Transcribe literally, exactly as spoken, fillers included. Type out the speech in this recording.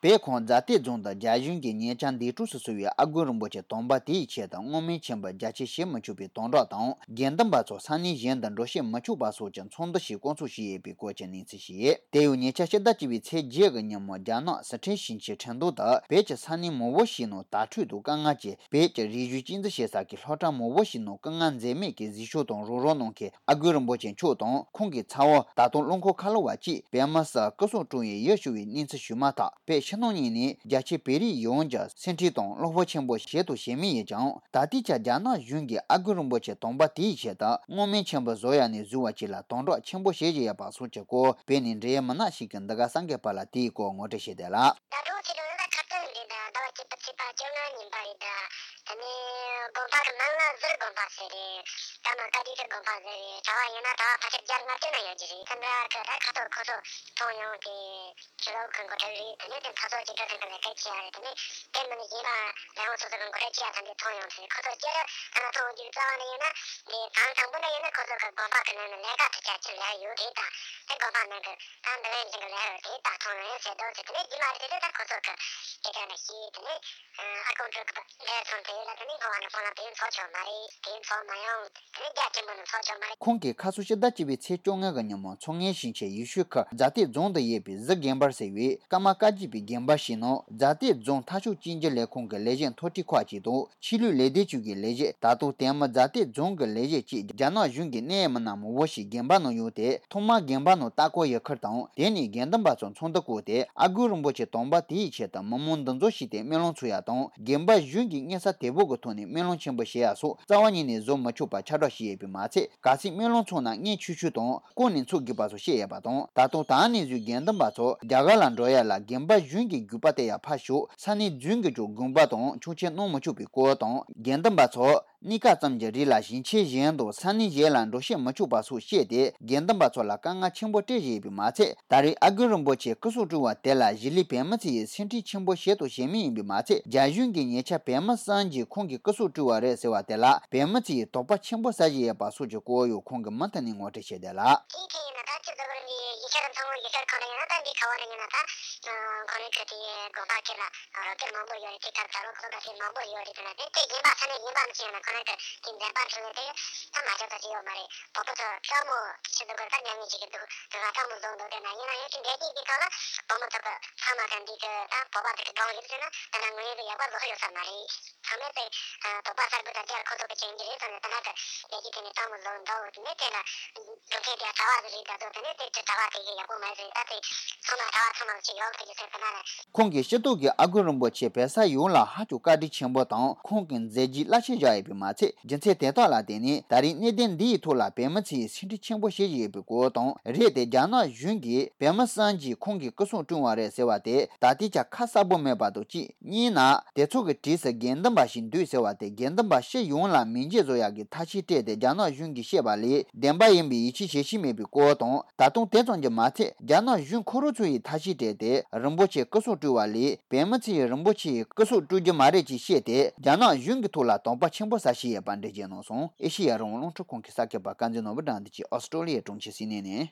བོད་ཁོངས་རྫ་སྟོད་རྫོང་དུ་རྒྱ་གཞུང་གིས་ཉེ་ཆར་འདས་གྲོངས་སུ་སོང་བའི་ཨ་དཀོན་རིན་པོ་ཆེ་དམ་པ་དེའི་ཆེད་དུ་བསྔོ་སྨོན་ཆེན་པོ་རྒྱ་ཆེ་བྱེད་མི་ཆོག་པའི་དམ་བསྒྲགས་དང་། དགེ་འདུན་པ་ཚོ་ས་གནས་གཞན་དུ་འགྲོ་བཤད་མི་ཆོག་པ་སོགས་ཀྱི་ཚོགས་འདུ་ཞིག་བསྐོང་ཚོགས་བྱས་ཡོད་པའི་སྐོར་གྱི་གནས་ཚུལ་ཞིག་དེ་ཡང་ཉེ་ཆར་ཕྱི་ཟླ་བཅུ་པའི་ཚེས་བརྒྱད་ཀྱི་ཉིན་མོ་རྒྱ་ནག་སི་ཁྲོན་ཞིང་ཆེན་ཁྲེང་ཏུའུ་དུ་བོད་ཀྱི་ས་གནས་མང་པོ་ཞིག་ནང་དྭ་ཕྲུག་དང་དཀའ་ངལ་གྱི་བོད་ཀྱི་རིག་གཞུང་གཅེས་འཛིན་བྱེད་ས་ཀྱི་སློབ་གྲྭ་མང་པོ་ཞིག་ནང་སྐུ་ངལ་འཛེམས་མེད་ཀྱིས་གཟིགས་ཞིབ་དང་རོགས་རམ་གནང་མཁན་ཨ་དཀོན་རིན་པོ་ཆེ་མཆོག་དང་ཁོང་གི་ཚ་བོ། ད་དུང་རླངས་འཁོར་ཁ་ལོ་བ་བཅས་བོད་མི་སུ་སྐུ་སྲོག་བཀྲོངས་ཡི་ཡིད་སྐྱོ་བའི་གནས་ཚུལ་ཞུས་མ་ཐག་བོད་ཕྱི་ནང་གཉིས་ནས་རྒྱ་ཆེ་བོད་རིགས་ཡོངས་ཀྱི་སེམས་ཁྲལ་དང་བློ་ཕམ་ཆེན་པོ་བྱེད་དང་བྱེད་མུས་ཡིན་ཀྱང་། ད་ལྟའི་ཆར་རྒྱ་ནག་གཞུང་གིས་ཨ་དཀོན་རིན་པོ་ཆེ་དམ་པ་དེའི་ཆེད་དུ་བསྔོ་སྨོན་ཆེན་པོ་བཟོ་ཡ་ནས་བཟོ་བ་བཅས་ལ་དམ་དྲག་ཆེན་པོ་བྱེད་བཞིན་ཡོད་པ་སོགས་ཀྱི་སྐོར་བོད་ནས་འབྲེལ་ཡོད་མི་སྣ་ཞིག་གིས་འདི་ག་གསར་འགོད་པ་ལ་དེའི་སྐོར་ངོ་སྤྲོད་བྱས་བསྡད་ལ། ཟླ་གྲོགས་ཚེ་རིང་ལགས། ད་ཁ་སང་རེད་ད། ཟླ་བ་བཅུ་པ་ཚེས་པ་བཅོ་ལྔ་ཉིན་པ་རེད་ད། དེ་ནས་དགོན་པ་གི་མིང་ལ་ཟུར་དགོན་པ་ཟེར་རེད། ཀརྨ་བཀའ་བརྒྱུད་ཀྱི་དགོན་པ་ཟེར་རེད། གྲྭ་བ་ཡིན་ན་གྲྭ་བ་ཕལ་ཆེར་བརྒྱ་ལྔ་བཅུ་ན་ཡོད་ཀྱི་རེད། ཁ་འདྲ་གི་ད་ཁ་ཐོར་ཁོ་ཚོ་མཐོང་ཡོང་དེ་ཕྱི་ལོགས་གི་འགོ་ཁྲིད་རེད། དེ་ནས་དེ་མཐོ་ཚོགས་སྐྱིད་སྡུག་ཁང་གི་ལས་ཀ་བྱེད་ཡ་རེད། དེ་ནས་དེ་མིན་ནས་གཞན་པ་ལས་ཁུངས་སོ་སོ་གི་འགོ་ཁྲིད་བྱེད་ཡ་ཐམས་ཅད་མཐོང་ཡོང་དེ་ཁོ་ཚོ་སྤྱིར་ཐ་ན་མཐོང་རྒྱུ་རྩ་བ་ནས་ཡིན་ན་དེ་གང་དང་པོ་ན་ཡིན་ན་ཁོ་ཚོ་གི་དགོན་པ་གི་ནང་ནས་ལས་ཀ་ཐུབ་ཆ་ཅིག་ལས་ཡོད་རེད་ད། དེ་དགོན་པ་ནང་གི་ད་འདི་ལས་འཛིན་གི་ལས་རོགས་དེ་ད་མཐོང་ཡོང་ཟེར་འདུག་ཟེར། དེ་ནས་རྗེས་མ་རེད་དེ་ད་ཁོ་ཚོ་གི་སྐད་ཆ་འདྲ་ཞིག་དེ་ནས་ཨ་ཁོང་ཚོ་གི་ལས་ཚོང་དེ་ལ་དེ་ནས་ངོ་བ་ནས་ཁོང་ལ་དེ་ཚོགས་ཆོག་མ་རེད། དེ་ཚོགས་མ་ཡོང་། དེ་ནས་རྒྱ་ཆེན་པོ་ནས་ཚོགས་ཆོག་མ་རེད། ཁོང་གིས་ཁ་སང་ཕྱི་ཟླ་བཅུ་པའི་ཚེས་བཅོ་ལྔ་གི་ཉིན་མོ་མཚོ་སྔོན་ཞིང་ཆེན་ཡུལ་ཤུལ་ཁུལ་རྫ་སྟོད་རྫོང་དུ་ཡོད་པའི་གཟི་དགོན་པར་ཟེར་བའི་ཀརྨ་བཀའ་བརྒྱུད་པའི་དགོན་པ་ཞིག་ནང་རྫ་སྟོད་རྫོང་མཐའ་སྐྱོང་བཅོས་བསྒྱུར་ལས་ཁུངས་ཀྱི་ལས་བྱེད་མཐོ་གྲས་ཁག་ཅིག་དང་། ཆོས་ལུགས་ལས་སྡེ་བཅུ་གི་ལས་བྱེད། ད་དུང་དེ་མིན་རྫ་སྟོད་རྫོང་གི་ལས་བྱེད་བཅས་རྒྱ་ནག་གཞུང་གི་གནད་ཡོད་མི་སྣ་མང་པོ་ཞིག་དགོན་པ་ནང་ཡོང་སྟེ། ཐོག་མར་དགོན་པ་ནང་ལྟ་སྐོར་ཡོད་ཁུལ་དང་། དེ་ནས་དགེ་འདུན་པ་ཚོ་ཚོགས་འདུ་བསྐོངས་ཏེ། ཨ་དཀོན་རིན་པོ་ཆེ་དམ་པ་དེའི་ཆེད་དུ་མི་མང་འདུ་འཛོམས་བྱས་ཏེ་སྨོན་ལམ་འཚོགས་ཡ་དང་། དགོན་པ་གཞུང་གིས་སྙན་སེང་དོད་པོ་གི་ཐོག་ནས་སྨོན་ལམ་ཆེན་པོ་བྱེད་ཡ་སོགས་རྩ་བ་ཉིད་ནས་བཟོ་མི་ཆོག་པ་ཁྱབ་བསྒྲགས་བྱས་ཡོད་པས་མ་ཚད། གལ་སྲིད་སྨོན་ལམ་འཚོགས་ན་མངལ་ཆུང་ཆུང་དང་། ལྐོག་ནས་འཚོགས་དགོས་པ་སོགས་བཤད་ཡོད་པ་དང་། ད་དུང་ད་ནས་བཟུང་དགེ་འདུན་པ་ཚོ་རྒྱ་གར་ལ་འགྲོ་ཡ་ལ་དགོན་པ་གཞུང་གི་བརྒྱུད་པ་དེ་ཡང་ཕར་ཞོག་ས་གནས་རྫུན་གྱིས་ཀྱང་དགོངས་པ་དང་ཆོག་མཆན་གནང་མི་ཆོག་པའི་སྐོར་དང་། དགེ་འདུན་པ་ཚོ་གནས་སྐབས་ཙམ་གྱི་རིང་ལ་ཞིང་ཆེན་གཞན་དང་ས་གནས་གཞན་ལ་འགྲོ་བཤད་མི་ཆོག་པ་སོགས་བཤད་དེ། དགེ་འདུན་པ་ཚོ་ལ་དཀའ་ངལ་ཆེན་པོ་སྤྲད་བཞིན་ཡོད་པས་མ་ཚད། ད་རེས་ཨ་དཀོན་རིན་པོ་ཆེ་སྐུ་སྲོག་བཀྲོངས་པ་དེ་ལ་གཞིས་ལུས་བོད་མི་ཚོ་ཡིས་སེམས་ཁྲལ་ཆེན་པོ་བྱེད་དང་བྱེད་མུས་ཡིན་པས་མ་ཚད། རྒྱ་གཞུང་གིས་ཉེ་ཆར་བོད་མི་གསུམ་གྱིས་ཁོང་གི་སྐུ་སྲོག་བཀྲོངས་པ་རེད་ཟེར་བ་དེ་ལ་བོད་མི་ཚོ་ཡིས་དོགས་པ་ཆེན་པོ་ཟ་བཞིན་ཡོད་པ་སོགས་ཀྱི་སྐོར་ཡང་ཁོང་གིས་མུ་མཐུད་ནས་ངོ་སྤྲོད་བྱས་བསྡད་ལ། དེའི་ཐད་ཡིན་ན་ད་སྤྱི་ཚོགས་ནས་ཡིག་ཆ་དང་ཚང་མ་ཡིག་ཆ་ཁོ་ན་ཡིན་ན་ད་འདི་ག་བ་ནས་ཡིན་ན་ད་ཁོ་རང་གི་དེ་དགོན་པ་ཁེ་ལ་རོགས་སྐྱོར་མང་པོ་ཡོད་རེད། དེ་གར་ད་རུང་ཁོ་ཚོ་ག་ཚོད་མང་པོ་ཡོད་རེད། དེ་ན་དེ་དེ་གཞན་པ་ས་གནས་གཞན་པ་མི་ཤེས་ན་ཁོ་རང་གི་དེ་འཛེམ་པ་འཁྲུལ་ནས་དེ་ད་མ་ཆོག་ད་ཅི་ཡོད་མ་རེད། བོད་པ་ཚོ་དཀའ་མོ་ཆེ་འདུག་གི་ད་ཉམས་ཉེས་ཅིག་གི་འདུག་དེ་ག་དཀའ་མོ་བཟོ་འདུག་དེ་ན་ཡིན་ན་ཡང་དེ་འདྲ་དེ་གི་ཐོག་ལ་བོད་མི་ཚོ་གི་ཚང་མ་གི་འདི་གི་ད་བོད་པ་དེ་གི་སྒང་ཡོད་ཟེར་ན་དེ་ན་ངོས་ཡོད་གི་ཡག་པ་བཟོ་ས་ཡོད་ས་མ་རེད། ཚང་མས་དེ་དོགས་པ་གསར་པ་དང་སྦྱར་ཁོ་ཚོ་གི་བྱེད་ཀྱི་རེད་དང་ནི་དེ་ན་གི་ལས་ཀྱི་དེ་ནི་སྟོང་མི་བཟོ་འདུག་དེ་ནས་དེ་ལ་འགྲོ་མཁན་དེ་གྲྭ་བ་ཟིག་རེད་ད་དོ། དེ་ནས་དེ་གྲྭ་བ་དེ་གི་ཡག་པོ་མ་རེད། ད་དེ་ཚང་མ་གྲྭ་བ་ཚང་མ་ཅིག་ཡོང་ཐུབ་ཀྱི་ཟེར་དེ་ན་ལ། ཁོང་གིས་སྤྱི་ཚོགས་ཀྱི་ཨ་དཀོན་རིན་པོ་ཆེ་བོད་ས་ཡོངས་ལ་ཧ་ཅང་བཀའ་དྲིན་ཆེན་པོ་དང་ཁོང་གི་མཛད་རྗེས་རླབས་ཆེན་བཞག་ཡོད་པས་མ་ཚད། རྒྱུ་མཚན་དེ་དག་ལ་བརྟེན་ནས་ད་རེས་གནད་དོན་འདིའི་ཐོག་ལ་བོད་མི་ཚོས་སེམས་ཁྲལ་ཆེན་པོ་བྱེད་བཞིན་ཡོད་པའི་སྐོར་དང་། རེད་དེ་རྒྱ་ནག་གཞུང་གིས་བོད་མི་གསུམ་གྱིས་ཁོང་གི་སྐུ་སྲོག་བཀྲོངས་པ་རེད་ཟེར་བ་དེ་ད་ལྟའི་ཆར་ཁ་གསལ་པོ་མེད་པ་དང་གཅིག་གཉིས་ན། དེ་ཚོ་གི་གྲས་སུ་དགེ་འདུན་པ་ཞིག་འདུས་ཟེར་བ་དེ་དགེ་འདུན་པ་སྤྱི་ཡོངས་ལ་མིང་རྗེས་བཟོ་ཡག་གི་ཐབས་ཤེས་སྤྲད་དེ་རྒྱ་ནག་གཞུང་གིས་བཤད་པ་ལས་བདེན་པ་ཡིན་པའི་ཡིད་ཆེས་བྱེད་བཞིན་མེད་པའི་སྐོར་དང་། ད་དུང་དེ་ཙམ་གྱིས་མ་ཚད། རྒྱ་ནག་གཞུང་ཁོ་རང་ཚོ་ཡིས་ཐབས་ཤེས་སྤྲད་དེ་རིན་པོ་ཆེ་སྐུ་སྲོག་བཀྲོངས་པ་ལས་བོད་མི་ཚོ་ཡིས་རིན་པོ་ཆེ་ཡི་སྐུ་སྲོག་བཀྲོངས་རྒྱུ་མ་རེད་ཅེས་བཤད་དེ་རྒྱ་ནག་གཞུང་གི་ཐོག་ལ་དོགས་པ་ཆེན་པོ་ཟ་བཞིན་ཡོད་པ་འགྲེལ་བརྗོད་གནང་སོང་། ཨེ་ཤེ་ཡ་རང་དབང་རླུང་འཕྲིན་ཁང་གི་གསར་འགོད་པ་བསྟན་འཛིན་ནོར་བུ་དང་འདི་ཆེད་ཨོ་སི་ཀྲོ་ལི་ཡའི་གྲོང་ཁྱེར་སིད་ནི་ནས།